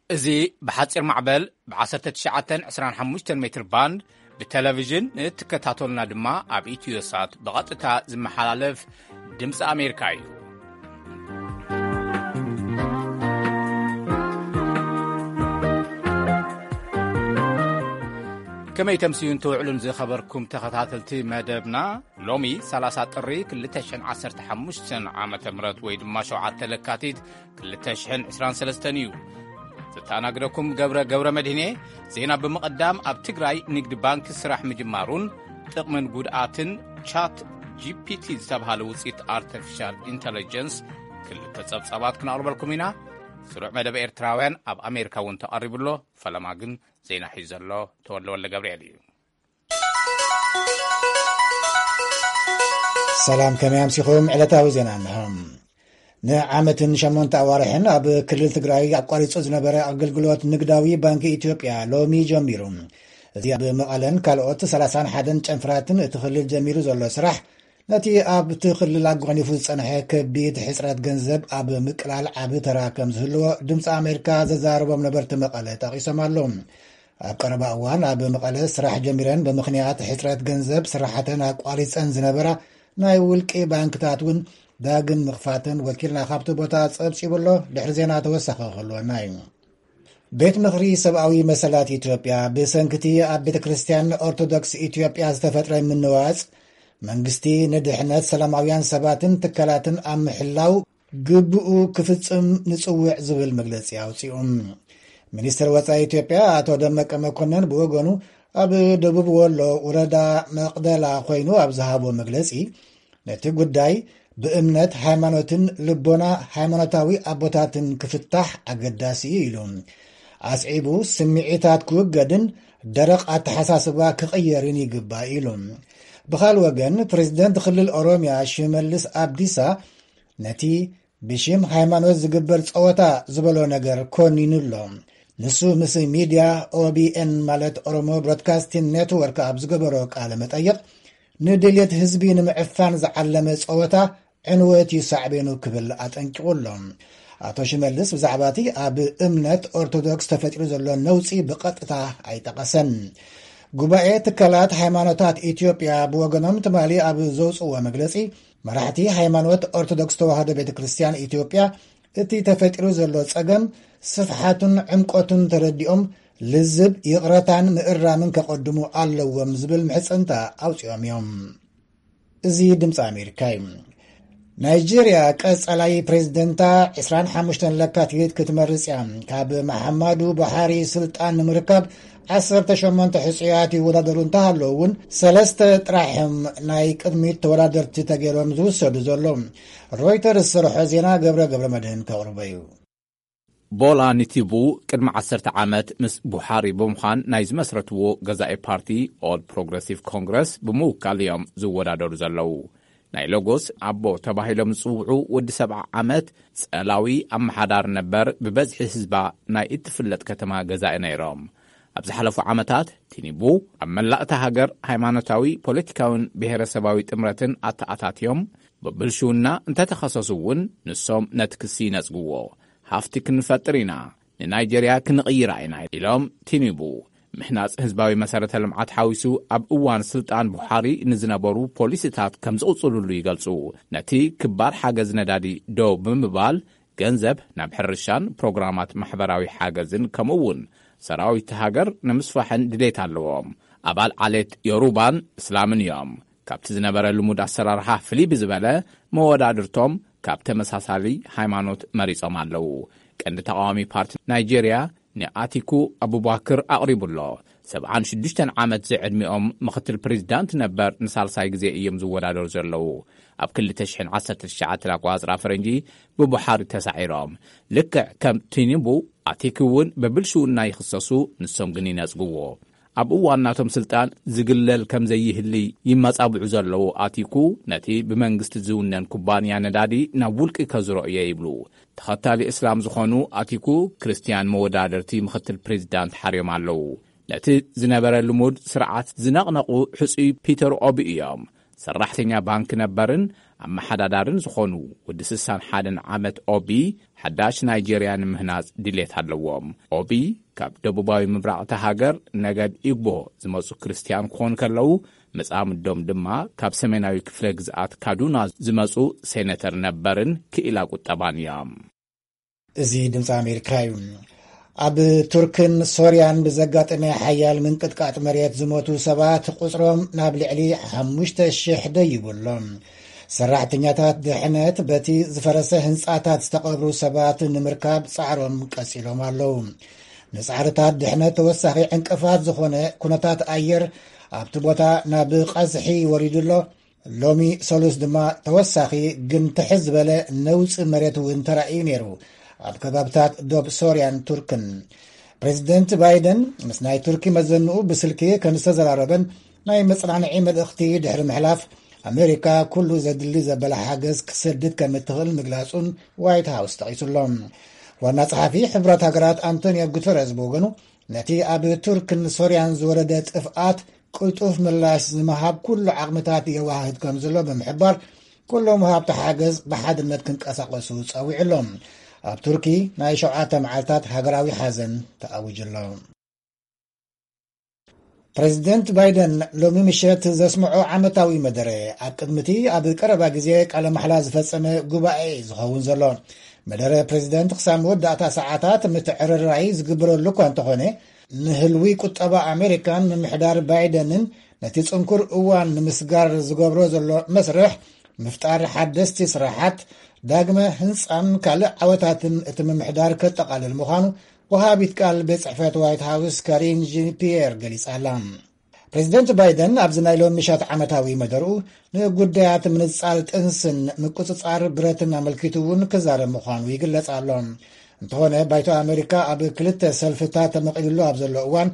እዚ ብሓጺር ማዕበል ብ19 25 ሜትር ባንድ ብቴሌቪዥን ንእትከታተሉና ድማ ኣብ ኢትዮሳት ብቐጥታ ዝመሓላለፍ ድምፂ ኣሜሪካ እዩ። ከመይ ተምስዩን ትውዕሉን ዝኸበርኩም ተኸታተልቲ መደብና፣ ሎሚ 30 ጥሪ 2015 ዓመተ ምህረት ወይ ድማ 7 ለካቲት 2023 እዩ። ዘተኣናግደኩም ገብረ ገብረ መድህኔ። ዜና ብምቕዳም፣ ኣብ ትግራይ ንግዲ ባንክ ስራሕ ምጅማሩን ጥቕምን ጉድኣትን ቻት ጂ ፒ ቲ ዝተብሃለ ውፅኢት ኣርቲፊሻል ኢንተለጀንስ ክልተ ጸብጻባት ክነቕርበልኩም ኢና። ስሩዕ መደብ ኤርትራውያን ኣብ ኣሜሪካ እውን ተቐሪቡ ኣሎ። ፈለማ ግን ዜና ሒዙ ዘሎ ተወልደ ወልደ ገብርኤል እዩ። ሰላም፣ ከመይ ኣምሲኹም? ዕለታዊ ዜና እንሆ። ንዓመትን ሸሞንተ ኣዋርሕን ኣብ ክልል ትግራይ ኣቋሪጹ ዝነበረ ኣገልግሎት ንግዳዊ ባንኪ ኢትዮጵያ ሎሚ ጀሚሩ። እዚ ኣብ መቐለን ካልኦት 31 ጨንፍራትን እቲ ክልል ጀሚሩ ዘሎ ስራሕ፣ ነቲ ኣብቲ ክልል ኣጓኒፉ ዝጸንሐ ከቢድ ሕጽረት ገንዘብ ኣብ ምቅላል ዓቢ ተራ ከም ዝህልዎ ድምፂ ኣሜሪካ ዘዛረቦም ነበርቲ መቐለ ጠቒሶም ኣለዉ። ኣብ ቀረባ እዋን ኣብ መቐለ ስራሕ ጀሚረን ብምኽንያት ሕጽረት ገንዘብ ስራሕተን ኣቋሪጸን ዝነበራ ናይ ውልቂ ባንክታት እውን ዳግም ምኽፋተን ወኪልና ካብቲ ቦታ ጸብጺቡ ኣሎ። ድሕሪ ዜና ተወሳኺ ክህልወና እዩ። ቤት ምኽሪ ሰብኣዊ መሰላት ኢትዮጵያ፣ ብሰንክቲ ኣብ ቤተ ክርስቲያን ኦርቶዶክስ ኢትዮጵያ ዝተፈጥረ ምንዋጽ፣ መንግስቲ ንድሕነት ሰላማውያን ሰባትን ትካላትን ኣብ ምሕላው ግብኡ ክፍጽም ንጽውዕ ዝብል መግለጺ ኣውጺኡ። ሚኒስትር ወጻኢ ኢትዮጵያ ኣቶ ደመቀ መኮንን ብወገኑ፣ ኣብ ደቡብ ወሎ ወረዳ መቕደላ ኮይኑ ኣብ ዝሃቦ መግለጺ፣ ነቲ ጉዳይ ብእምነት ሃይማኖትን ልቦና ሃይማኖታዊ ኣቦታትን ክፍታሕ ኣገዳሲ እዩ ኢሉ። ኣስዒቡ፣ ስምዒታት ክውገድን ደረቕ ኣተሓሳስባ ክቕየርን ይግባእ ኢሉ። ብኻል ወገን፣ ፕሬዝደንት ክልል ኦሮምያ ሽመልስ ኣብዲሳ ነቲ ብሽም ሃይማኖት ዝግበር ጸወታ ዝበሎ ነገር ኮኒኑ ኣሎ። ንሱ ምስ ሚድያ ኦ ቢ ኤን፣ ማለት ኦሮሞ ብሮድካስቲንግ ኔትወርክ፣ ኣብ ዝገበሮ ቃለ መጠይቕ፣ ንድልየት ህዝቢ ንምዕፋን ዝዓለመ ጸወታ ዕንወት እዩ ሳዕቤኑ ክብል ኣጠንቂቑ ኣሎ። ኣቶ ሽመልስ ብዛዕባ እቲ ኣብ እምነት ኦርቶዶክስ ተፈጢሩ ዘሎ ነውጺ ብቐጥታ ኣይጠቐሰን። ጉባኤ ትካላት ሃይማኖታት ኢትዮጵያ ብወገኖም ትማሊ ኣብ ዘውፅዎ መግለፂ፣ መራሕቲ ሃይማኖት ኦርቶዶክስ ተዋህዶ ቤተ ክርስቲያን ኢትዮጵያ እቲ ተፈጢሩ ዘሎ ጸገም ስፍሓቱን ዕምቆቱን ተረዲኦም ልዝብ፣ ይቕረታን ምእራምን ከቐድሙ ኣለዎም ዝብል ምሕጽንታ ኣውጺኦም እዮም። እዚ ድምፂ ኣሜሪካ እዩ። ናይጄርያ ቀጸላይ ፕሬዝደንታ 25 ለካቲት ክትመርጽ እያ። ካብ መሓማዱ ቡሃሪ ስልጣን ንምርካብ 18 ሕጹያት ይወዳደሩ እንተሃለዉ እውን፣ ሰለስተ ጥራሕም ናይ ቅድሚት ተወዳደርቲ ተገይሮም ዝውሰዱ ዘሎ። ሮይተርስ ዝሰርሖ ዜና ገብረ ገብረ መድህን ከቕርቦ እዩ። ቦላ ኒቲቡ ቅድሚ ዓሰርተ ዓመት ምስ ቡሓሪ ብምዃን ናይ ዝመስረትዎ ገዛኢ ፓርቲ ኦል ፕሮግረሲቭ ኮንግረስ ብምውካል እዮም ዝወዳደሩ ዘለዉ። ናይ ሎጎስ ኣቦ ተባሂሎም ዝጽውዑ ወዲ 70 ዓመት ጸላዊ ኣመሓዳሪ ነበር ብበዝሒ ህዝባ ናይ እትፍለጥ ከተማ ገዛኢ ነይሮም። ኣብ ዝሓለፉ ዓመታት ቲኒቡ ኣብ መላእታ ሃገር ሃይማኖታዊ፣ ፖለቲካውን ብሔረሰባዊ ጥምረትን ኣተኣታትዮም ብብልሽውና እንተተኸሰሱ እውን ንሶም ነቲ ክሲ ይነጽግዎ። ሃፍቲ ክንፈጥር ኢና፣ ንናይጀርያ ክንቕይራ ኢና ኢሎም ቲኒቡ። ምህናጽ ህዝባዊ መሰረተ ልምዓት ሓዊሱ ኣብ እዋን ስልጣን ቡሓሪ ንዝነበሩ ፖሊሲታት ከም ዝቕጽሉሉ ይገልጹ። ነቲ ክባር ሓገዝ ነዳዲ ደው ብምባል ገንዘብ ናብ ሕርሻን ፕሮግራማት ማሕበራዊ ሓገዝን ከምኡ እውን ሰራዊት ሃገር ንምስፋሕን ድሌት ኣለዎም። ኣባል ዓሌት ዮሩባን እስላምን እዮም። ካብቲ ዝነበረ ልሙድ ኣሰራርሓ ፍልይ ብዝበለ መወዳድርቶም ካብ ተመሳሳሊ ሃይማኖት መሪጾም ኣለዉ። ቀንዲ ተቃዋሚ ፓርቲ ናይጄርያ ንኣቲኩ ኣቡባክር ኣቕሪቡ ኣሎ። 76 ዓመት ዝዕድሚኦም ምኽትል ፕሬዚዳንት ነበር ንሳልሳይ ግዜ እዮም ዝወዳደሩ ዘለዉ። ኣብ 2019 ኣቋጽራ ፈረንጂ ብቡሓሪ ተሳዒሮም። ልክዕ ከም ቲኒቡ፣ ኣቲኩ እውን ብብልሽውና ይኽሰሱ፣ ንሶም ግን ይነጽግዎ። ኣብ እዋን ናቶም ስልጣን ዝግለል ከም ዘይህሊ ይመጻብዑ ዘለዉ ኣቲኩ፣ ነቲ ብመንግስቲ ዝውነን ኩባንያ ነዳዲ ናብ ውልቂ ከዝሮ እየ ይብሉ። ተኸታሊ እስላም ዝኾኑ ኣቲኩ፣ ክርስትያን መወዳደርቲ ምኽትል ፕሬዚዳንት ሓርዮም ኣለዉ። ነቲ ዝነበረ ልሙድ ስርዓት ዝነቕነቑ ሕጹይ ፒተር ኦቢ እዮም። ሰራሕተኛ ባንክ ነበርን ኣመሓዳዳርን ዝኾኑ ወዲ ስሳን ሓደን ዓመት ኦቢ፣ ሓዳሽ ናይጄርያ ንምህናጽ ድሌት ኣለዎም። ኦቢ ካብ ደቡባዊ ምብራቕ እታ ሃገር ነገድ ኢግቦ ዝመጹ ክርስትያን ክኾኑ ከለዉ፣ መጻምዶም ድማ ካብ ሰሜናዊ ክፍለ ግዝኣት ካዱና ዝመጹ ሴነተር ነበርን ክኢላ ቁጠባን እዮም። እዚ ድምፂ ኣሜሪካ እዩ። ኣብ ቱርክን ሶርያን ብዘጋጠመ ሓያል ምንቅጥቃጥ መሬት ዝሞቱ ሰባት ቁፅሮም ናብ ልዕሊ ሓሙሽተ ሽሕ ደይቡ ኣሎ። ሰራሕተኛታት ድሕነት በቲ ዝፈረሰ ህንፃታት ዝተቐብሩ ሰባት ንምርካብ ፃዕሮም ቀፂሎም ኣለዉ። ንፃዕርታት ድሕነት ተወሳኺ ዕንቅፋት ዝኾነ ኩነታት ኣየር ኣብቲ ቦታ ናብ ቀዝሒ ወሪዱ ኣሎ። ሎሚ ሰሉስ ድማ ተወሳኺ ግን ትሕዝ ዝበለ ነውፂ መሬት እውን ተራእዩ ነይሩ። ኣብ ከባብታት ዶብ ሶርያን ቱርክን ፕሬዚደንት ባይደን ምስ ናይ ቱርኪ መዘንኡ ብስልኪ ከም ዝተዘራረበን ናይ መጽናንዒ መልእኽቲ ድሕሪ ምሕላፍ፣ ኣሜሪካ ኩሉ ዘድሊ ዘበለ ሓገዝ ክሰድድ ከም እትኽእል ምግላጹን ዋይት ሃውስ ጠቒሱሎ። ዋና ጸሓፊ ሕቡራት ሃገራት ኣንቶኒዮ ጉተረዝ ብወገኑ፣ ነቲ ኣብ ቱርክን ሶርያን ዝወረደ ጥፍኣት ቅልጡፍ ምላሽ ዝምሃብ ኩሉ ዓቕምታት የዋህድ ከም ዘሎ ብምሕባር፣ ኩሎም ወሃብቲ ሓገዝ ብሓድነት ክንቀሳቐሱ ጸዊዑ ኣሎ። ኣብ ቱርኪ ናይ ሸውዓተ መዓልታት ሃገራዊ ሓዘን ተኣዊጁ ኣሎ። ፕሬዚደንት ባይደን ሎሚ ምሸት ዘስምዖ ዓመታዊ መደረ፣ ኣብ ቅድሚቲ ኣብ ቀረባ ግዜ ቃለ ማሕላ ዝፈጸመ ጉባኤ ዝኸውን ዘሎ። መደረ ፕሬዚደንት ክሳብ መወዳእታ ሰዓታት ምትዕርራይ ዝግበረሉ እኳ እንተኾነ፣ ንህልዊ ቁጠባ ኣሜሪካን ምምሕዳር ባይደንን ነቲ ጽንኩር እዋን ንምስጋር ዝገብሮ ዘሎ መስርሕ ምፍጣር ሓደስቲ ስራሓት፣ ዳግመ ህንጻን ካልእ ዓወታትን እቲ ምምሕዳር ከጠቓልል ምዃኑ ወሃቢት ቃል ቤት ጽሕፈት ዋይት ሃውስ ካሪን ጂን ፒየር ገሊጻ ኣላ። ፕሬዚደንት ባይደን ኣብዚ ናይ ሎሚ ምሸት ዓመታዊ መደርኡ ንጉዳያት ምንጻል ጥንስን ምቁጽጻር ብረትን ኣመልኪቱ እውን ክዛረብ ምዃኑ ይግለጽ ኣሎ። እንተኾነ ባይቶ ኣሜሪካ ኣብ ክልተ ሰልፍታት ተመቒልሉ ኣብ ዘሎ እዋን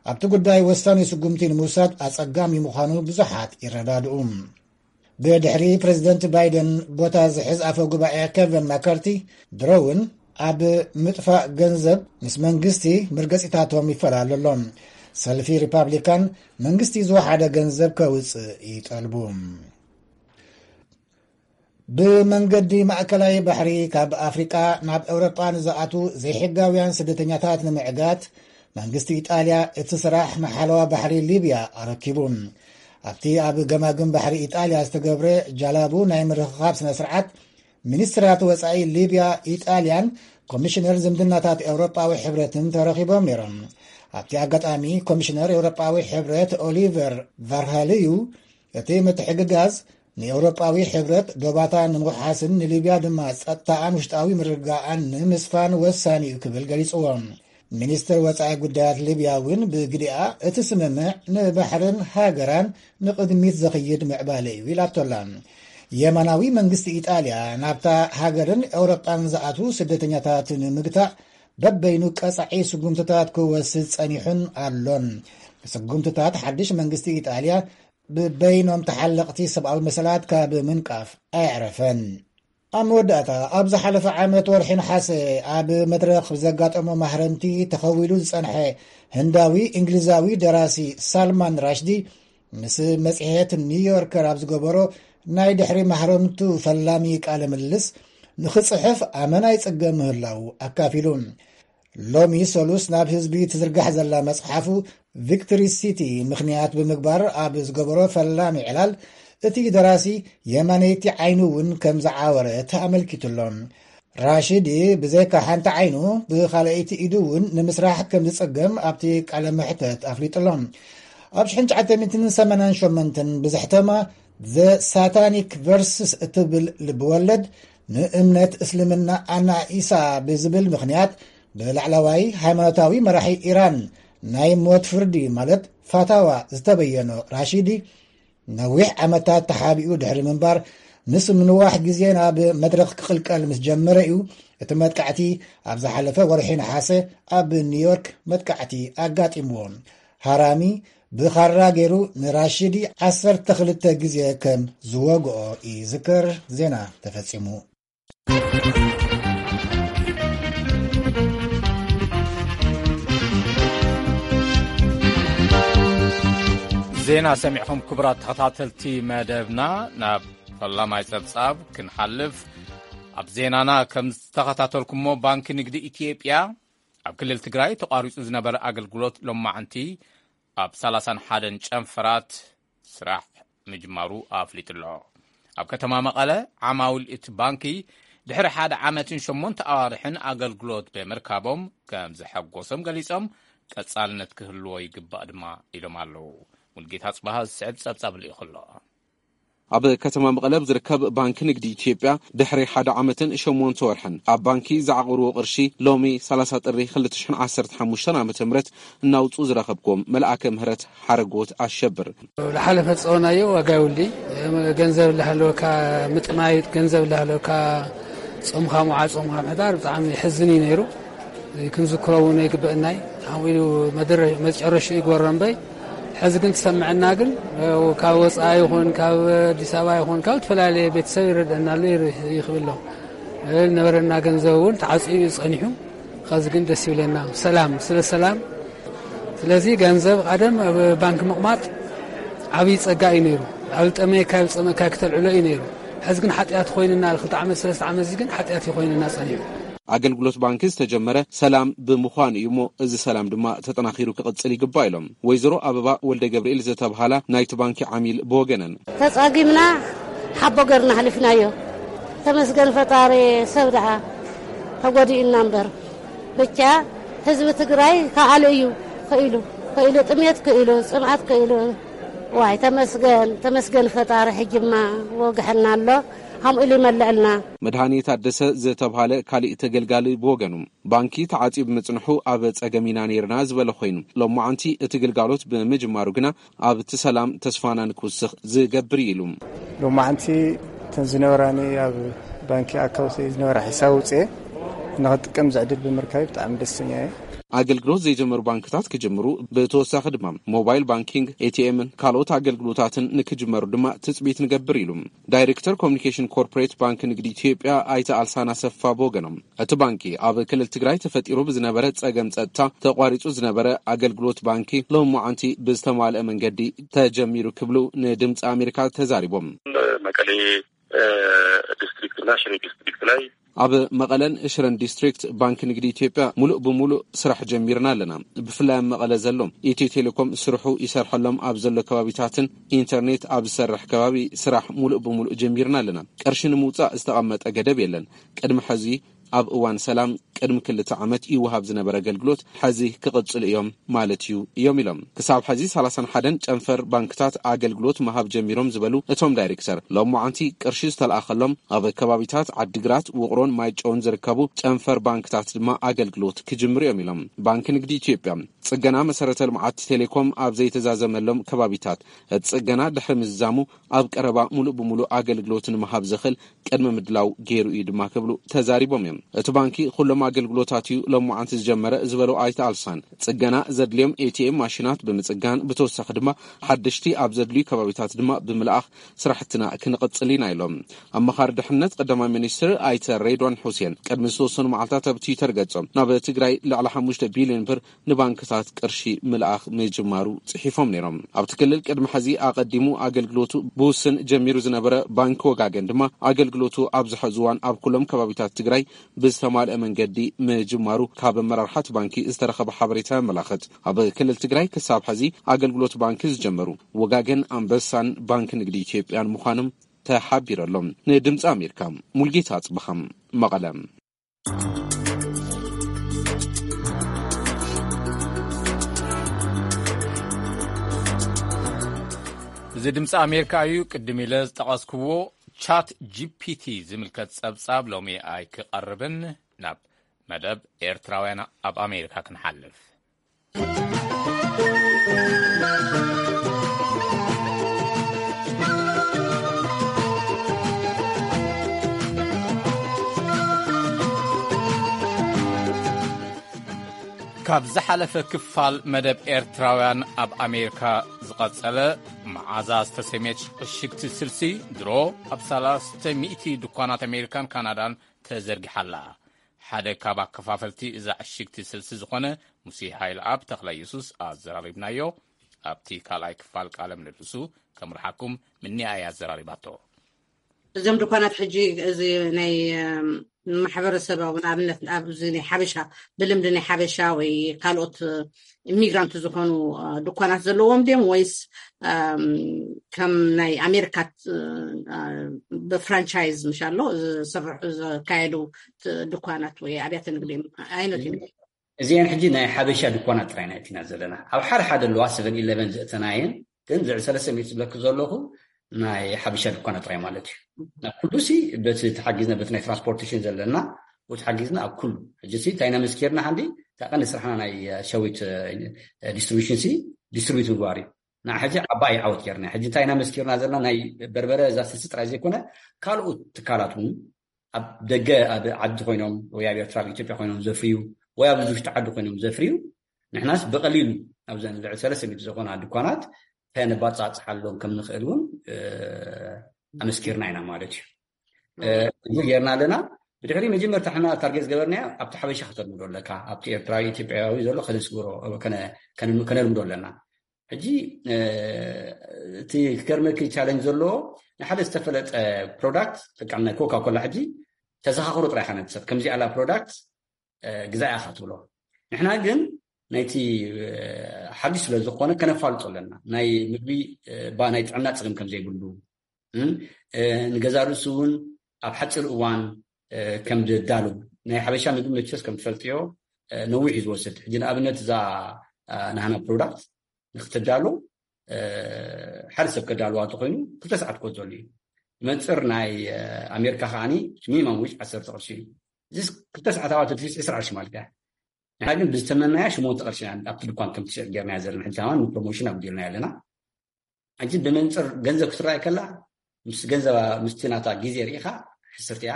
ኣብቲ ጉዳይ ወሳኒ ስጉምቲ ንምውሳድ ኣጸጋሚ ምዃኑ ብዙሓት ይረዳድኡ። ብድሕሪ ፕሬዚደንት ባይደን ቦታ ዝሕዝ ኣፈ ጉባኤ ኬቨን ማካርቲ ድሮ እውን ኣብ ምጥፋእ ገንዘብ ምስ መንግስቲ መርገጺታቶም ይፈላለ ኣሎ። ሰልፊ ሪፓብሊካን መንግስቲ ዝወሓደ ገንዘብ ከውፅእ ይጠልቡ። ብመንገዲ ማእከላይ ባሕሪ ካብ ኣፍሪቃ ናብ ኤውሮጳ ንዝኣትዉ ዘይሕጋውያን ስደተኛታት ንምዕጋት መንግስቲ ኢጣልያ እቲ ስራሕ ንሓለዋ ባሕሪ ሊብያ ኣረኪቡ። ኣብቲ ኣብ ገማግም ባሕሪ ኢጣልያ ዝተገብረ ጃላቡ ናይ ምርኽኻብ ስነ ስርዓት፣ ሚኒስትራት ወጻኢ ሊብያ፣ ኢጣልያን ኮሚሽነር ዝምድናታት ኤውሮጳዊ ሕብረትን ተረኺቦም ነይሮም። ኣብቲ ኣጋጣሚ ኮሚሽነር ኤውሮጳዊ ሕብረት ኦሊቨር ቫርሃልዩ፣ እቲ ምትሕግጋዝ ንኤውሮጳዊ ሕብረት ዶባታ ንምውሓስን ንሊብያ ድማ ጸጥታኣን ውሽጣዊ ምርግጋኣን ንምስፋን ወሳኒ እዩ ክብል ገሊጽዎ። ሚኒስትር ወጻኢ ጉዳያት ሊብያ እውን ብግዲኣ እቲ ስምምዕ ንባሕርን ሃገራን ንቕድሚት ዘኽይድ ምዕባለ እዩ ኢላቶላ። የማናዊ መንግስቲ ኢጣልያ ናብታ ሃገርን ኤውሮጳን ዝኣትዉ ስደተኛታት ንምግታእ በበይኑ ቀጻዒ ስጉምትታት ክወስድ ጸኒሑን ኣሎን። ስጉምትታት ሓድሽ መንግስቲ ኢጣልያ ብበይኖም ተሓለቕቲ ሰብኣዊ መሰላት ካብ ምንቃፍ ኣየዕረፈን። ኣብ መወዳእታ፣ ኣብ ዝሓለፈ ዓመት ወርሒ ነሓሰ ኣብ መድረኽ ብዘጋጠሞ ማህረምቲ ተኸዊሉ ዝጸንሐ ህንዳዊ እንግሊዛዊ ደራሲ ሳልማን ራሽዲ ምስ መጽሔት ኒውዮርከር ኣብ ዝገበሮ ናይ ድሕሪ ማህረምቱ ፈላሚ ቃለ ምልልስ፣ ንኽጽሕፍ ኣመና ይጽገም ምህላው ኣካፊሉ። ሎሚ ሰሉስ ናብ ህዝቢ ትዝርጋሕ ዘላ መጽሓፉ ቪክቶሪ ሲቲ ምኽንያት ብምግባር ኣብ ዝገበሮ ፈላሚ ዕላል፣ እቲ ደራሲ የማነይቲ ዓይኑ እውን ከም ዝዓወረት ኣመልኪቱ ኣሎ። ራሽዲ ብዘይካ ሓንቲ ዓይኑ ብኻልኣይቲ ኢዱ እውን ንምስራሕ ከም ዝጸገም ኣብቲ ቃለ መሕተት ኣፍሊጡ ኣሎ። ኣብ ሽሕን ትሽዓተ ሚእትን ሰማንያን ሸሞንተን ብዝሕተማ ዘ ሳታኒክ ቨርስስ እትብል ልብወለድ፣ ንእምነት እስልምና ኣናኢሳ ብዝብል ምኽንያት ብላዕለዋይ ሃይማኖታዊ መራሒ ኢራን ናይ ሞት ፍርዲ ማለት ፋታዋ ዝተበየኖ ራሺዲ፣ ነዊሕ ዓመታት ተሓቢኡ ድሕሪ ምንባር፣ ምስ ምንዋሕ ግዜ ናብ መድረኽ ክቕልቀል ምስ ጀመረ እዩ እቲ መጥቃዕቲ ኣብ ዝሓለፈ ወርሒ ነሓሰ ኣብ ኒውዮርክ መጥቃዕቲ ኣጋጢምዎ። ሃራሚ ብኻራ ገይሩ ንራሺዲ ዓሰርተ ክልተ ግዜ ከም ዝወግኦ ይዝከር። ዜና ተፈጺሙ። ዜና ሰሚዕኹም ክቡራት ተኸታተልቲ መደብና፣ ናብ ፈላማይ ጸብጻብ ክንሓልፍ። ኣብ ዜናና ከም ዝተኸታተልኩሞ፣ ባንኪ ንግዲ ኢትዮጵያ ኣብ ክልል ትግራይ ተቋሪጹ ዝነበረ ኣገልግሎት ሎማዓንቲ ኣብ ሰላሳን ሓደን ጨንፈራት ስራሕ ምጅማሩ ኣፍሊጡ ኣሎ። ኣብ ከተማ መቐለ ዓማዊል እቲ ባንኪ ድሕሪ ሓደ ዓመትን ሸሞንተ ኣዋርሕን ኣገልግሎት ብምርካቦም ከም ዘሐጎሶም ገሊጾም፣ ቀጻልነት ክህልዎ ይግባእ ድማ ኢሎም ኣለዉ። ሙልጌታ ጽባሃ ዝስዕብ ጸብጻብ ልኢኹ ኣሎ። ኣብ ከተማ መቐለ ኣብ ዝርከብ ባንኪ ንግዲ ኢትዮጵያ ድሕሪ ሓደ ዓመትን ሸሞንተ ወርሕን ኣብ ባንኪ ዝዓቑርዎ ቅርሺ ሎሚ ሰላሳ ጥሪ ክልተ ሽሕን ዓሰርተ ሓሙሽተን ዓመተ ምህረት እናውፅኡ ዝረኸብኩዎም መልኣከ ምህረት ሓረጎት ኣሸብር። ዝሓለፈ ዝፀወናዮ ዋጋ የብሉይ። ገንዘብ እናሃለወካ ምጥማይ፣ ገንዘብ እናሃለወካ ጾምካ ምውዓል፣ ጾምካ ምሕዳር ብጣዕሚ የሕዝን እዩ ነይሩ። ክንዝክሮ እውን ይግበአና እዩ። ከምኡ ኢሉ መድረ-፣ መጨረሻ ይግበሮ እምበይ፣ ሕዚ ግን ትሰምዐና ግን፣ ካብ ወፃኢ ይኹን ካብ ኣዲስ ኣበባ ይኹን ካብ ዝተፈላለየ ቤተሰብ ይረድአና ኣሎ፣ ይር-፣ ይኽብል ኣሎ። ዝነበረና ገንዘብ እውን ተዓፅዩ እዩ ፀኒሑ። ኸዚ ግን ደስ ይብለና፣ ሰላም፣ ስለ ሰላም። ስለዚ ገንዘብ ቀደም ኣብ ባንክ ምቕማጥ ዓብዪ ጸጋ እዩ ነይሩ። ኣብ ዝጠመየካ፣ ኣብ ዝጸመእካ ክተልዕሎ እዩ ነይሩ። ሕዚ ግን ሓጢኣት ኮይንና፣ ክልተ ዓመት፣ ሰለስተ ዓመት እዚ ግን ሓጢኣት እዩ ኮይንና ጸኒሑ። ኣገልግሎት ባንኪ ዝተጀመረ ሰላም ብምዃኑ እዩ እሞ፣ እዚ ሰላም ድማ ተጠናኺሩ ክቕጽል ይግባእ ኢሎም ወይዘሮ ኣበባ ወልደ ገብርኤል ዝተብሃላ ናይቲ ባንኪ ዓሚል ብወገነን። ተጻጊምና ሓቦ ገርና ሓሊፍናዮ። ተመስገን ፈጣሪ፣ ሰብ ደኣ ተጎዲእና እምበር። ብቻ ህዝቢ ትግራይ ከኣሉ እዩ። ክኢሉ፣ ክኢሉ ጥሜት፣ ክኢሉ ጽምኣት፣ ክኢሉ። ዋይ ተመስገን፣ ተመስገን ፈጣሪ፣ ሕጅማ ወግሐና ኣሎ። ከምኡ ኢሉ ይመልዕልና። መድሃኔ ታደሰ ዝተብሃለ ካሊእ ተገልጋሊ ብወገኑ፣ ባንኪ ተዓጽዩ ብምጽንሑ ኣብ ጸገም ኢና ነይርና ዝበለ ኮይኑ፣ ሎማዓንቲ እቲ ግልጋሎት ብምጅማሩ ግና ኣብቲ ሰላም ተስፋና ንክውስኽ ዝገብር እዩ ኢሉ። ሎማዓንቲ እተን ዝነበራኒ ኣብ ባንኪ ኣካውንት ዝነበራ ሒሳብ ውፅኤ ንኽጥቀም ዝዕድል ብምርካብ ብጣዕሚ ደስተኛ እየ። ኣገልግሎት ዘይጀመሩ ባንክታት ክጅምሩ፣ ብተወሳኺ ድማ ሞባይል ባንኪንግ፣ ኤቲኤምን ካልኦት ኣገልግሎታትን ንክጅመሩ ድማ ትፅቢት ንገብር ኢሉ ዳይሬክተር ኮሚኒኬሽን ኮርፖሬት ባንክ ንግዲ ኢትዮጵያ ኣይተ ኣልሳን ኣሰፋ ብወገኖም። እቲ ባንኪ ኣብ ክልል ትግራይ ተፈጢሩ ብዝነበረ ጸገም ጸጥታ ተቋሪጹ ዝነበረ ኣገልግሎት ባንኪ ሎማዓንቲ ብዝተማልአ መንገዲ ተጀሚሩ ክብሉ ንድምፂ ኣሜሪካ ተዛሪቦም። መቀሌ፣ እ፣ ዲስትሪክት እና ሽሬ ዲስትሪክት ላይ ኣብ መቐለን ሽረን ዲስትሪክት ባንክ ንግዲ ኢትዮጵያ ሙሉእ ብሙሉእ ስራሕ ጀሚርና ኣለና። ብፍላይ ኣብ መቐለ ዘሎ ኢትዮ ቴሌኮም ስርሑ ይሰርሐሎም ኣብ ዘሎ ከባቢታትን ኢንተርኔት ኣብ ዝሰርሕ ከባቢ ስራሕ ሙሉእ ብሙሉእ ጀሚርና ኣለና። ቅርሺ ንምውፃእ ዝተቐመጠ ገደብ የለን። ቅድሚ ሕዚ ኣብ እዋን ሰላም ቅድሚ ክልተ ዓመት ይወሃብ ዝነበረ ኣገልግሎት ሕዚ ክቕፅሉ እዮም ማለት እዩ እዮም ኢሎም። ክሳብ ሕዚ ሰላሳን ሓደን ጨንፈር ባንክታት ኣገልግሎት ምሃብ ጀሚሮም ዝበሉ እቶም ዳይሬክተር፣ ሎማዓንቲ ቅርሺ ዝተለኣኸሎም ኣብ ከባቢታት ዓዲግራት፣ ውቕሮን ማይጨውን ዝርከቡ ጨንፈር ባንክታት ድማ ኣገልግሎት ክጅምሩ እዮም ኢሎም። ባንክ ንግዲ ኢትዮጵያ ጽገና መሰረተ ልምዓት ቴሌኮም ኣብ ዘይተዛዘመሎም ከባቢታት እቲ ጽገና ድሕሪ ምዝዛሙ ኣብ ቀረባ ሙሉእ ብሙሉእ ኣገልግሎት ንምሃብ ዘኽእል ቅድመ ምድላው ገይሩ እዩ ድማ ክብሉ ተዛሪቦም እዮም። እቲ ባንኪ ኩሎም ኣገልግሎታት እዩ ሎማዓንቲ ዝጀመረ ዝበሉ ኣይተ ኣልሳን፣ ጽገና ዘድልዮም ኤቲኤም ማሽናት ብምጽጋን ብተወሳኺ ድማ ሓደሽቲ ኣብ ዘድልዩ ከባቢታት ድማ ብምልኣኽ ስራሕትና ክንቕጽል ኢና ኢሎም። ኣመኻሪ ድሕነት ቀዳማይ ሚኒስትር ኣይተ ሬድዋን ሑሴን ቅድሚ ዝተወሰኑ መዓልታት ኣብ ትዊተር ገጾም ናብ ትግራይ ልዕሊ ሓሙሽተ ቢልዮን ብር ንባንክታት ቅርሺ ምልኣኽ ምጅማሩ ጽሒፎም ነይሮም። ኣብቲ ክልል ቅድሚ ሕዚ ኣቐዲሙ ኣገልግሎቱ ብውስን ጀሚሩ ዝነበረ ባንኪ ወጋገን ድማ ኣገልግሎቱ ኣብዚ ሕዚ እዋን ኣብ ኩሎም ከባቢታት ትግራይ ብዝተማልአ መንገዲ ምጅማሩ ካብ ኣመራርሓ እቲ ባንኪ ዝተረኸበ ሓበሬታ የመላኽት። ኣብ ክልል ትግራይ ክሳብ ሕዚ ኣገልግሎት ባንኪ ዝጀመሩ ወጋገን፣ ኣንበሳን ባንኪ ንግዲ ኢትዮጵያን ምዃኖም ተሓቢሩ ኣሎ። ንድምፂ ኣሜሪካ ሙልጌታ ኣፅበኻ፣ መቐለ። እዚ ድምፂ ኣሜሪካ እዩ። ቅድም ኢለ ዝጠቐስክዎ ቻት ጂፒቲ ዝምልከት ጸብጻብ ሎሚ ኣይክቐርብን፣ ናብ መደብ ኤርትራውያን ኣብ ኣሜሪካ ክንሓልፍ። ካብ ዝሓለፈ ክፋል መደብ ኤርትራውያን ኣብ ኣሜሪካ ዝቐጸለ፣ መዓዛ ዝተሰምየት ዕሽግቲ ስልሲ ድሮ ኣብ ሰለስተ ሚእቲ ድኳናት ኣሜሪካን ካናዳን ተዘርጊሓ ኣላ። ሓደ ካብ ኣከፋፈልቲ እዛ ዕሽግቲ ስልሲ ዝኾነ ሙሴ ሃይለኣብ ተኽለ የሱስ ኣዘራሪብናዮ። ኣብቲ ካልኣይ ክፋል ቃለ ምልልሱ ከምርሓኩም ምኒኣ እያ ኣዘራሪባቶ። እዞም ድኳናት ሕጂ እዚ ናይ ማሕበረሰባዊ፣ ንኣብነት ኣብዚ ናይ ሓበሻ፣ ብልምዲ ናይ ሓበሻ ወይ ካልኦት ኢሚግራንት ዝኾኑ ድኳናት ዘለዎም ድዮም ወይስ ከም ናይ ኣሜሪካ ብፍራንቻይዝ ምሻሎ ዝስርሑ፣ ዝካየዱ ድኳናት ወይ ኣብያተ ንግዲ እዮም? ዓይነት እዮም? እዚአን ሕጂ ናይ ሓበሻ ድኳናት ጥራይ ኢና እቲና ዘለና። ኣብ ሓደ ሓደ ኣለዋ ሰቨን ኢለቨን ዘእተናየን፣ ግን ዝዕ ሰለስተ ሚእቲ ዝብለክ ዘለኹ ናይ ሓበሻ ድኳናት ጥራይ ማለት እዩ። ናብ ኩሉ ሲ በቲ ተሓጊዝና፣ በቲ ናይ ትራንስፖርቴሽን ዘለና፣ ተሓጊዝና ኣብ ኩሉ። ሕጂ ሲ እንታይ ኢና መስኪርና ሓንዲ፣ እታ ቀንዲ ስራሕና ናይ ሸዊት ዲስትሪቢሽን ሲ ዲስትሪቢዩት ምግባር እዩ። ንዓ ሕጂ ዓባይ ዓወት ጌርና። ሕጂ እንታይ ኢና መስኪርና ዘለና፣ ናይ በርበረ እዛ ስልሲ ጥራይ ዘይኮነ፣ ካልኦት ትካላት እውን ኣብ ደገ፣ ኣብ ዓዲ ኮይኖም ወይ ኣብ ኤርትራ፣ ኣብ ኢትዮጵያ ኮይኖም ዘፍርዩ ወይ ኣብ ውሽጢ ዓዲ ኮይኖም ዘፍርዩ፣ ንሕናስ ብቐሊሉ ኣብዘን ልዕሊ ሰለስተ ሚእቲ ዝኾና ድኳናት እንታይ ነባጻጽሓሎም ከም ንኽእል እውን ኣመስኪርና ኢና ማለት እዩ። እዚ ጌርና ኣለና። ብድሕሪ መጀመርታ ሕና ታርጌት ዝገበርናዮ ኣብቲ ሓበሻ ከተልምዶ ኣለካ፣ ኣብቲ ኤርትራዊ ኢትዮጵያዊ ዘሎ ከነስግሮ፣ ከነልምዶ ኣለና። ሕጂ እቲ ክገርመኪ ቻለንጅ ዘለዎ፣ ንሓደ ዝተፈለጠ ፕሮዳክት፣ ልክዕ ናይ ኮካ ኮላ፣ ሕጂ ተዘኻኽሮ ጥራይ ኢኻ ነቲ ሰብ፣ ከምዚ ኣላ ፕሮዳክት ግዛእ ኢኻ ትብሎ። ንሕና ግን ናይቲ ሓድሽ ስለ ዝኾነ ከነፋልጦ ኣለና። ናይ ምግቢ ባ ናይ ጥዕና ጸገም ከም ዘይብሉ፣ ንገዛ ርእሱ እውን ኣብ ሓፂር እዋን ከም ዝዳሉ። ናይ ሓበሻ ምግቢ መቸስ ከም ትፈልጥዮ ነዊሕ እዩ ዝወስድ። ሕጂ ንኣብነት እዛ ናህና ፕሮዳክት ንክትዳሉ ሓደ ሰብ ከዳልዋ እንተኮይኑ ክልተ ሰዓት ክወስደሉ እዩ። መንፅር ናይ ኣሜሪካ ከዓኒ ሚኒማም ዊጅ ዓሰርተ ቅርሺ እዩ። እዚ ክልተ ሰዓት ኣባተ ትሪስ ዕስራ ቅርሺ ማለት እያ። ንሕና ግን ብዝተመናያ ሽሞንተ ቅርሺ ኢና ኣብቲ ድኳን ከም ትሸጥ ጌርናያ ዘለና። ሕጂ ከማን ንፕሮሞሽን ኣጉዲልናያ ኣለና። ሕጂ ብመንፅር ገንዘብ ክትረኣይ ከላ፣ ምስ ገንዘባ ምስቲ ናታ ግዜ ርኢኻ ሕስርቲ እያ።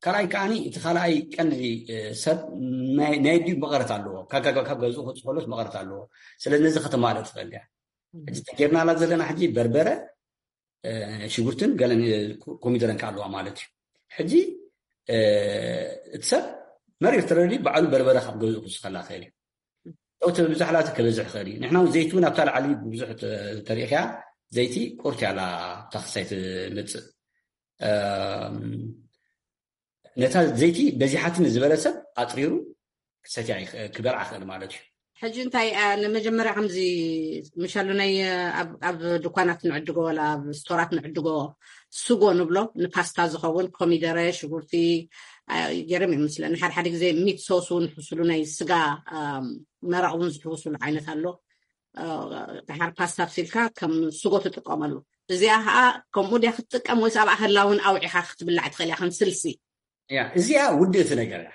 ካልኣይ ከዓኒ እቲ ካልኣይ ቀንዲ ሰብ ናይ ድዩ መቐረት ኣለዎ፣ ካብ ገዝኡ ክወፅእ ከሎስ መቐረት ኣለዎ። ስለዚ ነዚ ከተማልእ ትኽእል እያ። ሕጂ ተጌርናላ ዘለና ሕጂ በርበረ፣ ሽጉርትን ገለን ኮሚደረን ከ ኣለዋ ማለት እዩ። ሕጂ እቲ ሰብ መሪር ተረዲ ባዕሉ በርበረ ካብ ገዝኡ ክስኸላ ክእል እዩ። እቲ ብዛሕላ እቲ ክበዝሕ ይኽእል እዩ። ንሕና እውን ዘይቲ እውን ኣብታ ላዕሊ ብዙሕ ተሪእኽያ፣ ዘይቲ ቁርቲ ኣላ ታክሳይ ትመፅእ። ነታ ዘይቲ በዚሓትኒ ዝበለ ሰብ ኣጥሪሩ ክሰትያ ክበልዓ ክእል ማለት እዩ። ሕጂ እንታይ ንመጀመርያ ከምዚ ምሻሉ ናይ ኣብ ድኳናት ንዕድጎ ወላ ኣብ ስቶራት ንዕድጎ ስጎ ንብሎ ንፓስታ ዝኸውን ኮሚደረ ሽጉርቲ ገይሮም ይመስለኒ። ሓደ ሓደ ግዜ ሚት ሶስ እውን ሕስሉ ናይ ስጋ መረቕ እውን ዝሕውስሉ ዓይነት ኣሎ። ድሓር ፓስታ ኣብሲልካ ከም ስጎ ትጥቀመሉ። እዚኣ ከዓ ከምኡ ድያ ክትጥቀም ወይስ ኣብኣ ከላ እውን ኣውዒኻ ክትብላዕ ትኽእል እያ ከም ስልሲ? እዚኣ ውድእቲ ነገር እያ።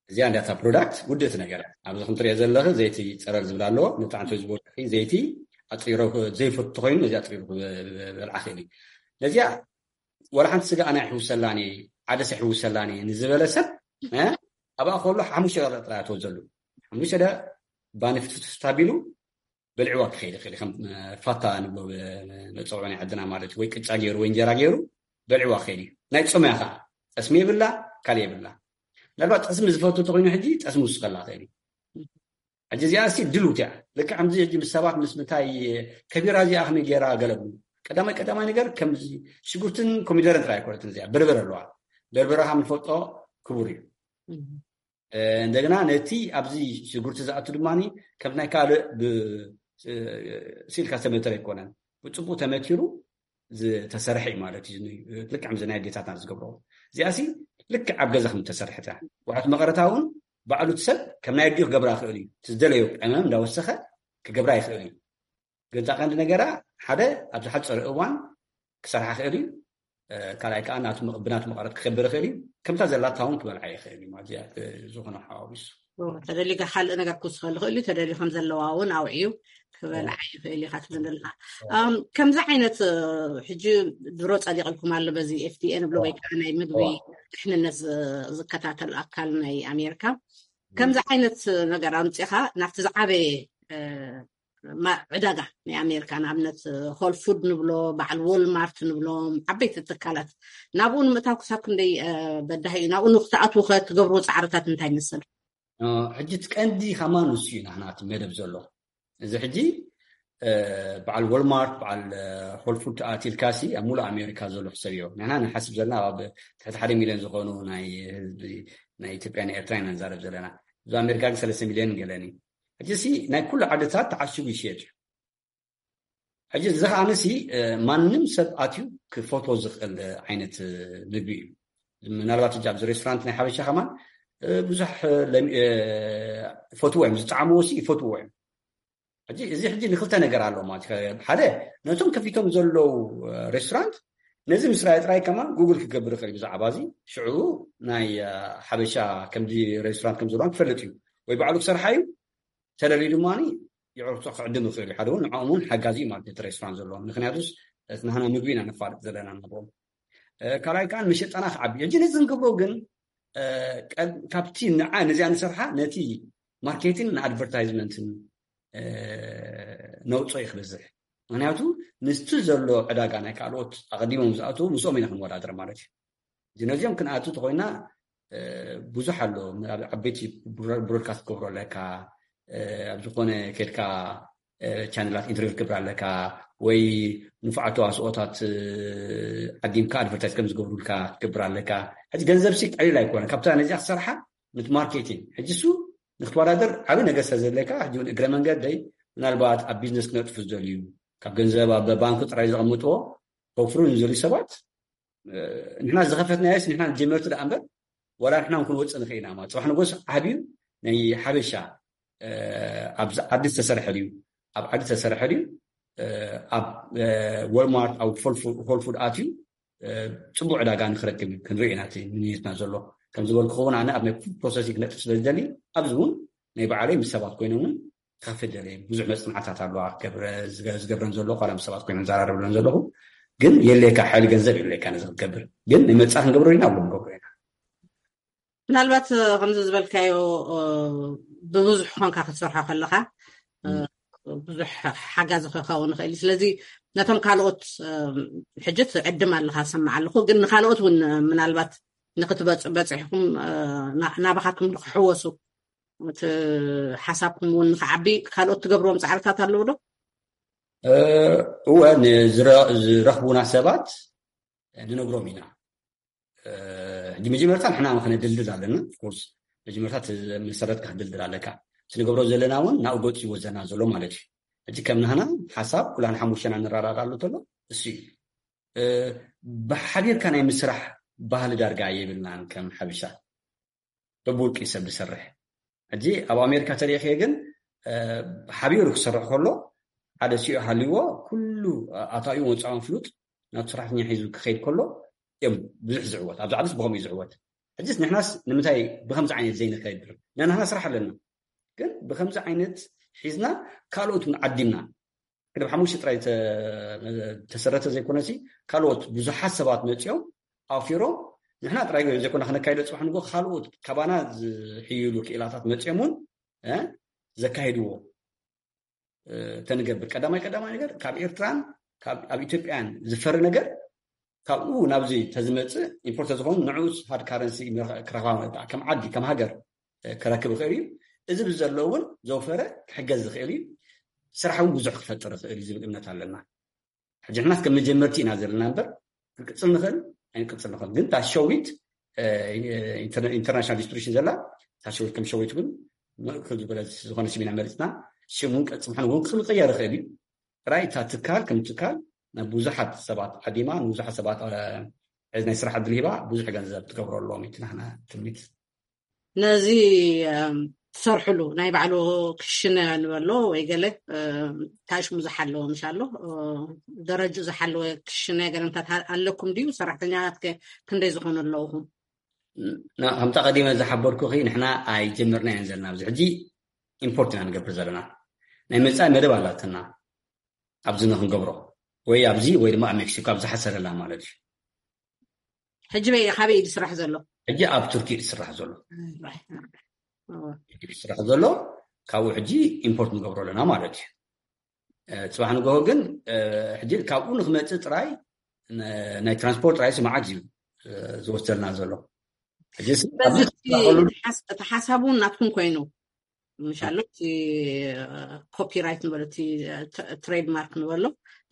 እዚኣ እንዳታ ፕሮዳክት ውድእቲ ነገር እያ። ኣብዚ ከም ትሪኦ ዘለኺ ዘይቲ ፀረር ዝብል ኣለዎ። ነቲ ዓንቶ ዝበልዕ ዘይቲ ኣፅሪሮ ዘይፈቱ ኮይኑ ነዚ ኣፅሪሩ ክበልዓ ክእል እዩ። ነዚኣ ወላ ሓንቲ ስጋ ኣና ይሕውሰላኒ፣ ዓደሰ ይሕውሰላኒ ንዝበለ ሰብ ኣብኣ ከሎ ሓሙሽተ ጥራይ ትወዘሉ። ሓሙሽተ ባኒ ፍትፍት ኣቢሉ በልዕዋ ክኸይድ ይኽእል። ከም ፋታ ንብሎ መፀውዖ ናይ ዓድና ማለት ወይ ቅጫ ገይሩ ወይ እንጀራ ገይሩ በልዕዋ ክኸይድ እዩ። ናይ ፆምያ ከዓ ጠስሚ የብላ፣ ካልእ የብላ። ምናልባት ጠስሚ ዝፈቱ ተኮይኑ ሕጂ ጠስሚ ውስኸላ ክእል እዩ። ሕጂ እዚኣ ሲ ድሉት እያ። ልክዕ ከምዚ ሕጂ ምስ ሰባት ምስ ምንታይ ከቢራ እዚኣ ከመይ ገይራ ገለቡ ቀዳማይ ቀዳማይ ነገር ከምዚ ሽጉርትን ኮሚደረን ጥራይ ኣይኮነትን እዚኣ በርበረ ኣለዋ። በርበረ ከም ንፈልጦ ክቡር እዩ። እንደገና ነቲ ኣብዚ ሽጉርቲ ዝኣቱ ድማ ከም ናይ ካልእ ስኢልካ ዝተመተረ ኣይኮነን። ብፅቡቅ ተመቲሩ ዝተሰርሐ እዩ ማለት እዩ። ልክዕ ከምዚ ናይ ኣዴታትና ዝገብሮ እዚኣ ሲ ልክዕ ኣብ ገዛ ከም ተሰርሐት እያ። ዋሕት መቐረታ እውን ባዕሉ እቲ ሰብ ከም ናይ ኣዲኡ ክገብራ ይኽእል እዩ። እቲ ዝደለዮ ቀመም እንዳወሰኸ ክገብራ ይኽእል እዩ። ግን እታ ቀንዲ ነገራ ሓደ ኣብ ዝሓፀረ እዋን ክሰርሓ ክእል እዩ። ካልኣይ ከዓ ብናቱ መቐረት ክከብር ይኽእል እዩ። ከምታ ዘላታ እውን ክበልዓ ይኽእል እዩ ማለት እያ። ዝኾነ ሓዋዊሱ ተደሊካ ካልእ ነገር ክውስኸሉ ይኽእል እዩ። ተደልዩ ከም ዘለዋ እውን ኣውዕዩ ክበልዓ ይኽእል እዩ። ካትብል ዘለካ ከምዚ ዓይነት ሕጂ ድሮ ፀዲቕልኩም ኣሎ በዚ ኤፍዲኤ ንብሎ ወይ ከዓ ናይ ምግቢ ድሕንነት ዝከታተል ኣካል ናይ ኣሜሪካ ከምዚ ዓይነት ነገር ኣምፂኻ ናብቲ ዝዓበየ ዕዳጋ ናይ ኣሜሪካ፣ ንኣብነት ሆል ፉድ ንብሎ፣ በዓል ዎልማርት ንብሎም ዓበይቲ ትካላት፣ ናብኡ ንምእታው ክሳብ ክንደይ በዳሂ እዩ? ናብኡ ንክትኣትዉ ከ ትገብርዎ ፃዕርታት እንታይ ይመስል? ሕጂ እቲ ቀንዲ ከማን ንሱ እዩ ናህና እቲ መደብ ዘሎ። እዚ ሕጂ በዓል ዎልማርት፣ በዓል ሆል ፉድ ኣትልካሲ ኣብ ሙሉእ ኣሜሪካ ዘሎ ሕሰብ እዮ። ንሕና ንሓስብ ዘለና ኣብ ትሕቲ ሓደ ሚልዮን ዝኾኑ ናይ ህዝቢ ናይ ኢትዮጵያ ናይ ኤርትራ ኢና ንዛረብ ዘለና። እዚ ኣሜሪካ ግን ሰለስተ ሚልዮን ገለን እዩ። ሕጂ ሲ ናይ ኩሉ ዓድታት ተዓሽጉ ይሽየጥ እዩ። ሕጂ እዚ ከዓንሲ ማንም ሰብ ኣትዩ ክፈትዎ ዝኽእል ዓይነት ምግቢ እዩ። ምናልባት ሕጂ ኣብዚ ሬስቶራንት ናይ ሓበሻ ከማን ብዙሕ ፈትዎ እዮም፣ ዝጠዓምዎ ሲ ይፈትዎ እዮም። ሕጂ እዚ ሕጂ ንክልተ ነገር ኣለዎ ማለት እዩ። ሓደ ነቶም ከፊቶም ዘለዉ ሬስቶራንት ነዚ ምስ ራየ ጥራይ ከማን ጉግል ክገብር ይኽእል እዩ ብዛዕባ እዚ። ሽዑ ናይ ሓበሻ ከምዚ ሬስቶራንት ከም ዘለዋ ክፈልጥ እዩ ወይ ባዕሉ ክሰርሓ እዩ። ተደልዩ ድማ የዕርክቶ ክዕድም ይኽእል እዩ። ሓደ እውን ንዕኦም እውን ሓጋዚ እዩ ማለት እቲ ሬስቶራንት ዘለዎም። ምክንያቱስ እቲ ናህና ምግቢ ኢና ነፋልጥ ዘለና ንብሎም። ካልኣይ ከዓ መሸጣና ክዓቢ። ሕጂ ነዚ ክንገብሮ ግን ካብቲ ንዓ ነዚኣ ንሰርሓ ነቲ ማርኬቲንግ ንኣድቨርታይዝመንትን ነውፅኦ እዩ ክበዝሕ። ምክንያቱ ምስቲ ዘሎ ዕዳጋ ናይ ካልኦት ኣቐዲሞም ዝኣትዉ ምስኦም ኢና ክንወዳደር ማለት እዩ። እዚ ነዚኦም ክንኣቱ ተኮይና ብዙሕ ኣሎ። ኣብ ዓበይቲ ብሮድካስት ክገብሮ ኣለካ፣ ኣብ ዝኾነ ከድካ ቻነላት ኢንተርቪው ክገብር ኣለካ፣ ወይ ንፉዓት ተዋስኦታት ዓዲምካ ኣድቨርታይዝ ከም ዝገብሩልካ ክትገብር ኣለካ። ሕጂ ገንዘብ ሲ ቀሊል ኣይኮነ ካብታ ነዚኣ ክሰርሓ ንቲ ማርኬቲንግ። ሕጂ እሱ ንክትወዳደር ዓብዪ ነገር ስለ ዘለካ ሕጂ እውን እግረ መንገደይ ምናልባት ኣብ ቢዝነስ ክነጥፉ ዝደልዩ ካብ ገንዘብ ኣብ ባንክ ጥራይ ዘቐምጥዎ ከውፍሩ ንዘልዩ ሰባት ንሕና ዝኸፈትናዮስ ንሕና ጀመርቲ ደኣ እምበር ዋላ ንሕና እውን ክንወፅእ ንኽእል ኢና ማለት። ፅባሕ ንጎስ ዓብዩ ናይ ሓበሻ ኣብዚ ዓዲ ዝተሰርሐ ድዩ ኣብ ዓዲ ዝተሰርሐ ድዩ ኣብ ወልማርት ኣብ ሆልፉድ ኣትዩ ፅቡቅ ዕዳጋ ንክረክብ ክንርኢ ኢና እቲ ምንየትና ዘሎ። ከም ዝበልኩ እውን ኣነ ኣብ ናይ ፉድ ፕሮሰሲንግ ክነጥፍ ስለ ዝደሊ ኣብዚ እውን ናይ ባዕለይ ምስ ሰባት ኮይነ እውን ክኸፍት ደለ ብዙሕ መፅናዕታት ኣለዋ ዝገብረን ዘሎ ኳላ ምስ ሰባት ኮይነ ዘራረብለን ዘለኹ ግን የለካ ሓይሊ ገንዘብ የለካ ነዚ ክትገብር ግን ናይ መፃ ክንገብሮ ኢና ብሎ ንገብሮ ኢና። ምናልባት ከምዚ ዝበልካዮ ብብዙሕ ኮንካ ክትሰርሖ ከለካ ብዙሕ ሓጋዚ ክኸውን ይኽእል እዩ። ስለዚ ነቶም ካልኦት ሕጂ ትዕድም ኣለካ ሰማዕ ኣለኹ ግን ንካልኦት እውን ምናልባት ንክትበፅሕኩም ናባካትኩም ንክሕወሱ እቲ ሓሳብኩም እውን ንክዓቢ ካልኦት ትገብርዎም ፃዕርታት ኣለዉ ዶ? እወ ዝረኽቡና ሰባት ንነግሮም ኢና። ሕጂ መጀመርታ ንሕና ከነድልድል ኣለና። ኦፍኮርስ መጀመርታ መሰረትካ ክድልድል ኣለካ። እቲ ንገብሮ ዘለና እውን ናብኡ ገፂ ይወዘና ዘሎ ማለት እዩ። ሕጂ ከም ናህና ሓሳብ ኩላን ሓሙሽተና ንረዳዳሉ ተሎ እሱ እዩ። ብሓቢርካ ናይ ምስራሕ ባህሊ ዳርጋ የብልናን ከም ሓበሻ። በብውልቂ ሰብ ዝሰርሕ ሕጂ ኣብ ኣሜሪካ ተሪእኽዮ ግን ሓቢሩ ክሰርሕ ከሎ ሓደ ሲኦ ሃልዎ ኩሉ ኣታዊ ወፃውን ፍሉጥ ናብ ሰራሕተኛ ሒዙ ክኸይድ ከሎ እዮም ብዙሕ ዝዕወት ኣብዚ ዓድስ ብኸምኡ እዩ ዝዕወት። ሕጅስ ንሕናስ ንምንታይ ብከምዚ ዓይነት ዘይንከይድ ነናህና ስራሕ ኣለና ግን ብከምዚ ዓይነት ሒዝና ካልኦት ዓዲምና ቅድም ሓሙሽተ ጥራይ ተሰረተ ዘይኮነሲ ካልኦት ብዙሓት ሰባት መፂኦም ኣውፊሮም ንሕና ጥራይ ዘይኮና ክነካይዶ ፅባሕ ንጎ ካልኦት ካባና ዝሕይሉ ክኢላታት መፂኦም እውን ዘካይድዎ ተንገብር ቀዳማይ ቀዳማይ ነገር ካብ ኤርትራን ኣብ ኢትዮጵያን ዝፈሪ ነገር ካብኡ ናብዚ ተዝመፅእ ኢምፖርት ዝኾኑ ንዑስ ሃርድ ካረንሲ ክረክባ ከም ዓዲ ከም ሃገር ክረክብ ይኽእል እዩ። እዚ ብዘሎ እውን ዘውፈረ ክሕገዝ ዝኽእል እዩ። ስራሕ እውን ብዙሕ ክፈጥር ይኽእል እዩ ዝብል እምነት ኣለና። ሕጂ ንሕናስ ከም መጀመርቲ ኢና ዘለና እምበር ክንቅፅል ንኽእል ኣይንቅፅል ንኽእል ግን እታ ሸዊት ኢንተርናሽናል ዲስትሪቢሽን ዘላ እታ ሸዊት ከም ሸዊት እውን ምእክል ዝበለ ዝኾነ ስም ኢና መሪፅና። ሽም እውን ቅርፂ ምዃኑ እውን ክንቀየር ይኽእል እዩ። ጥራይ እታ ትካል ከም ትካል ናብ ብዙሓት ሰባት ዓዲማ ንብዙሓት ሰባት ናይ ስራሕ ዕድል ሂባ ብዙሕ ገንዘብ ትገብረሎም እዩ ናህና ትምኒት። ነዚ ትሰርሕሉ ናይ ባዕሉ ክሽነ ንበሎ ወይ ገለ ታሽሙ ዝሓለወ ምሽ ኣሎ ደረጁ ዝሓለወ ክሽነ ገለምታት ኣለኩም ድዩ? ሰራሕተኛታት ክንደይ ዝኾኑ ኣለውኹም? ከምታ ቀዲመ ዝሓበርኩኺ ንሕና ኣይጀመርናዮን ዘለና ኣብዚ ሕጂ ኢምፖርት ኢና ንገብር ዘለና። ናይ መፃኢ መደብ ኣላትና ኣብዚ ንክንገብሮ ወይ ኣብዚ ወይ ድማ ኣብ ሜክሲኮ ኣብ ዝሓሰረላ ማለት እዩ። ሕጂ በይ ካበይ እዩ ዝስራሕ ዘሎ? ሕጂ ኣብ ቱርኪ እዩ ዝስራሕ ዘሎ። ስራሕ ዘሎ ካብኡ ሕጂ ኢምፖርት ንገብሮ ኣለና ማለት እዩ። ጽባሕ ንግሆ ግን ሕጂ ካብኡ ንክመፅእ ጥራይ ናይ ትራንስፖርት ጥራይ ስማዓት እዩ ዝወሰድና ዘሎ። እቲ ሓሳብ እውን ናትኩም ኮይኑ ምሻሎ እቲ ኮፒራይት ንበሎ እቲ ትሬድማርክ ንበሎ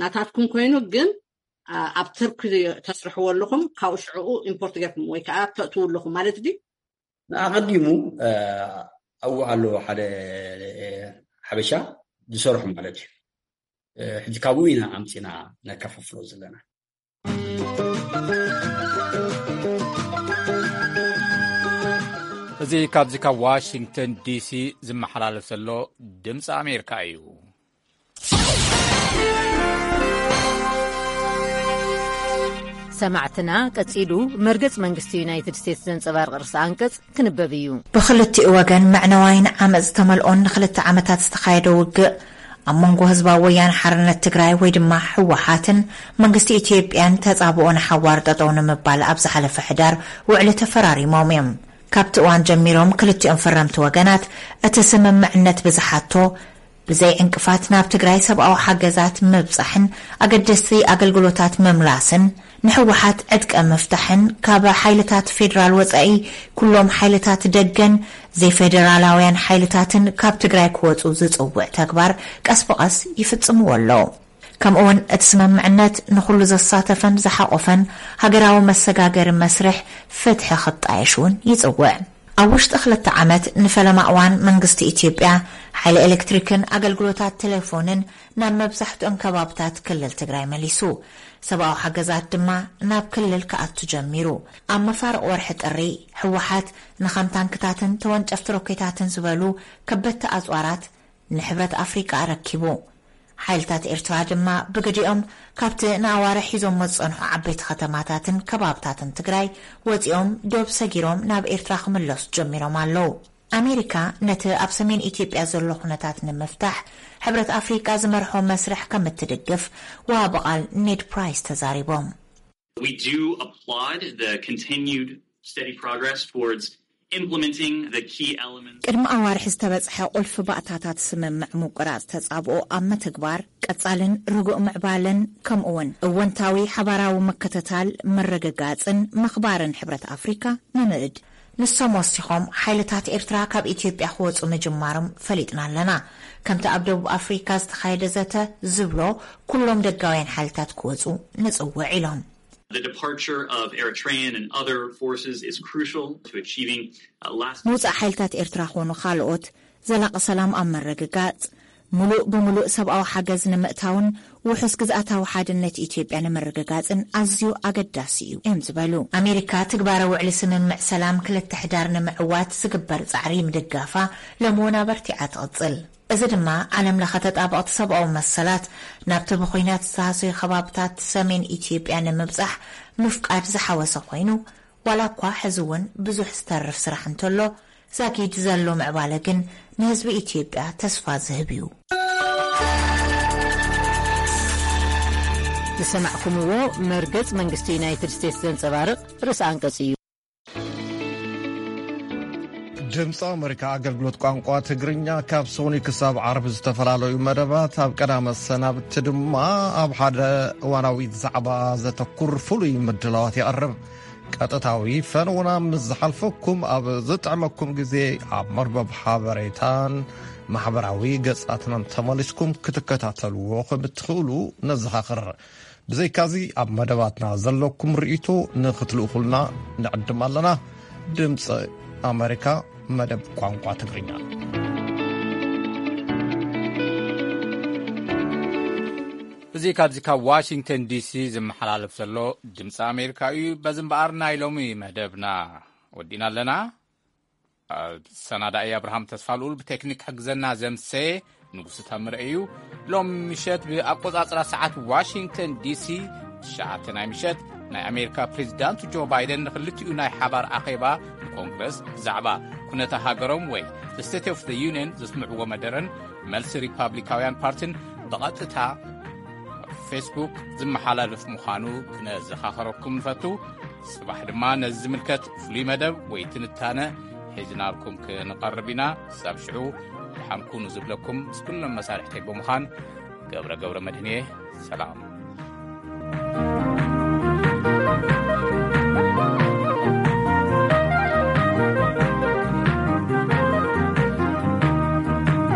ናታትኩም ኮይኑ ግን ኣብ ተርኪ ተስርሕዎ ኣለኹም ካብኡ ሽዕኡ ኢምፖርት ገርኩም ወይ ከዓ ተእትው ኣለኹም ማለት ድዩ? ንኣቐዲሙ ኣብኡ ኣሎ ሓደ ሓበሻ ዝሰርሑ ማለት እዩ። ሕጂ ካብኡ ኢና ኣምፂና ነከፋፍሎ ዘለና። እዚ ካብዚ ካብ ዋሽንግተን ዲሲ ዝመሓላለፍ ዘሎ ድምፂ ኣሜሪካ እዩ። ሰማዕትና ቀጺሉ መርገጽ መንግስቲ ዩናይትድ ስቴትስ ዘንጸባርቕ ርእሰ ኣንቀጽ ክንበብ እዩ። ብኽልቲኡ ወገን መዕነዋይን ዓመጽ ዝተመልኦን ንኽልተ ዓመታት ዝተኻየደ ውግእ ኣብ መንጎ ህዝባዊ ወያነ ሓርነት ትግራይ ወይ ድማ ህወሓትን መንግስቲ ኢትዮጵያን ተጻብኦ ንሓዋር ጠጠው ንምባል ኣብ ዝሓለፈ ሕዳር ውዕሊ ተፈራሪሞም እዮም። ካብቲ እዋን ጀሚሮም ክልቲኦም ፈረምቲ ወገናት እቲ ስምምዕነት ብዝሓቶ ብዘይ ዕንቅፋት ናብ ትግራይ ሰብኣዊ ሓገዛት ምብጻሕን ኣገደስቲ ኣገልግሎታት ምምላስን ንህወሓት ዕጥቀ ምፍታሕን ካብ ሓይልታት ፌደራል ወፃኢ ኩሎም ሓይልታት ደገን ዘይፌደራላውያን ሓይልታትን ካብ ትግራይ ክወፁ ዝፅውዕ ተግባር ቀስ ብቐስ ይፍፅምዎ ኣለዉ። ከምኡውን እቲ ስምምዕነት ንኹሉ ዘሳተፈን ዝሓቆፈን ሃገራዊ መሰጋገሪ መስርሕ ፍትሒ ክጣየሽ እውን ይፅውዕ። ኣብ ውሽጢ ክልተ ዓመት ንፈለማ እዋን መንግስቲ ኢትዮጵያ ሓይሊ ኤሌክትሪክን ኣገልግሎታት ቴሌፎንን ናብ መብዛሕትኦም ከባብታት ክልል ትግራይ መሊሱ። ሰብኣዊ ሓገዛት ድማ ናብ ክልል ክኣቱ ጀሚሩ። ኣብ መፋርቕ ወርሒ ጥሪ ህወሓት ንኸም ታንክታትን ተወንጨፍቲ ሮኬታትን ዝበሉ ከበድቲ ኣፅዋራት ንሕብረት ኣፍሪቃ ኣረኪቡ። ሓይልታት ኤርትራ ድማ ብግዲኦም ካብቲ ንኣዋርሕ ሒዞሞ ዝጸንሑ ዓበይቲ ከተማታትን ከባብታትን ትግራይ ወጺኦም ዶብ ሰጊሮም ናብ ኤርትራ ክምለሱ ጀሚሮም ኣለዉ። ኣሜሪካ ነቲ ኣብ ሰሜን ኢትዮጵያ ዘሎ ኩነታት ንምፍታሕ ሕብረት ኣፍሪቃ ዝመርሖ መስርሕ ከም እትድግፍ ወሃቢ ቃል ኔድ ፕራይስ ተዛሪቦም። We do applaud the continued steady progress towards implementing the key elements. ቅድሚ ኣዋርሒ ዝተበጽሐ ቁልፊ ባእታታት ስምምዕ ምቁራጽ ተጻብኦ ኣብ ምትግባር ቀጻልን ርጉእ ምዕባለን ከምኡውን እወንታዊ ሓባራዊ ምክትታል ምርግጋጽን ምኽባርን ሕብረት ኣፍሪካ ንምእድ። ንሶም ወሲኾም ሓይልታት ኤርትራ ካብ ኢትዮጵያ ክወጹ ምጅማሮም ፈሊጥና ኣለና። ከምቲ ኣብ ደቡብ ኣፍሪካ ዝተኻየደ ዘተ ዝብሎ ኩሎም ደጋውያን ሓይልታት ክወጹ ንጽውዕ ኢሎም። The departure of Eritrean and other forces is crucial to achieving uh, lasting ምውጻእ ሓይልታት ኤርትራ ኾኑ ካልኦት ዘላቂ ሰላም ኣብ ምርግጋጽ፣ ምሉእ ብምሉእ ሰብኣዊ ሓገዝ ንምእታውን ውሑስ ግዝኣታዊ ሓድነት ኢትዮጵያ ንምርግጋጽን ኣዝዩ ኣገዳሲ እዩ እዮም ዝበሉ። ኣሜሪካ ትግባረ ውዕሊ ስምምዕ ሰላም ክልተ ሕዳር ንምዕዋት ዝግበር ጻዕሪ ምድጋፋ ሎሚ እውን ኣበርቲዓ ትቕጽል። እዚ ድማ ዓለም ለኸ ተጣበቕቲ ሰብኣዊ መሰላት ናብቲ ብኹናት ዝተሃሰዩ ከባብታት ሰሜን ኢትዮጵያ ንምብጻሕ ምፍቃድ ዝሓወሰ ኮይኑ፣ ዋላ እኳ ሕዚ እውን ብዙሕ ዝተርፍ ስራሕ እንተሎ፣ ዛጊድ ዘሎ ምዕባለ ግን ንህዝቢ ኢትዮጵያ ተስፋ ዝህብ እዩ። ዝሰማዕኩምዎ መርገጽ መንግስቲ ዩናይትድ ስቴትስ ዘንጸባርቕ ርእሰ ኣንቀጽ እዩ። ድምፂ ኣሜሪካ ኣገልግሎት ቋንቋ ትግርኛ ካብ ሰኑይ ክሳብ ዓርቢ ዝተፈላለዩ መደባት ኣብ ቀዳመ ሰናብቲ ድማ ኣብ ሓደ እዋናዊ ዛዕባ ዘተኩር ፍሉይ ምድላዋት የቕርብ። ቀጥታዊ ፈነውና ምስ ዝሓልፈኩም ኣብ ዝጥዕመኩም ግዜ ኣብ መርበብ ሓበሬታን ማሕበራዊ ገጻትናን ተመሊስኩም ክትከታተልዎ ከም እትኽእሉ ነዘኻኽር። ብዘይካዚ ኣብ መደባትና ዘለኩም ርእይቶ ንኽትልእኹልና ንዕድም ኣለና። ድምፂ ኣሜሪካ መደብ ቋንቋ ትግርኛ። እዚ ካብዚ ካብ ዋሽንግተን ዲሲ ዝመሓላለፍ ዘሎ ድምፂ ኣሜሪካ እዩ። በዚ እምበኣር ናይ ሎሚ መደብና ወዲና ኣለና። ሰናዳኢ ኣብርሃም ተስፋልኡል፣ ብቴክኒክ ክሕግዘና ዘምሰ ንጉሱ ታምረ እዩ። ሎም ምሸት ብኣቆጻጽራ ሰዓት ዋሽንግተን ዲሲ ትሽዓተ ናይ ምሸት ናይ ኣሜሪካ ፕሬዚዳንት ጆ ባይደን ንክልቲኡ ናይ ሓባር ኣኼባ ንኮንግረስ ብዛዕባ ኩነታ ሃገሮም ወይ ስቴት ኦፍ ዩኒየን ዘስምዕዎ መደረን መልሲ ሪፓብሊካውያን ፓርቲን ብቐጥታ ፌስቡክ ዝመሓላለፍ ምዃኑ ክነዘኻኸረኩም ንፈቱ። ጽባሕ ድማ ነዚ ዝምልከት ፍሉይ መደብ ወይ ትንታነ ሒዝናልኩም ክንቐርብ ኢና። ክሳብ ሽዑ ደሓን ኩኑ ዝብለኩም ምስ ኩሎም መሳርሕተይ ብምዃን ገብረ ገብረ መድህን እየ። ሰላም።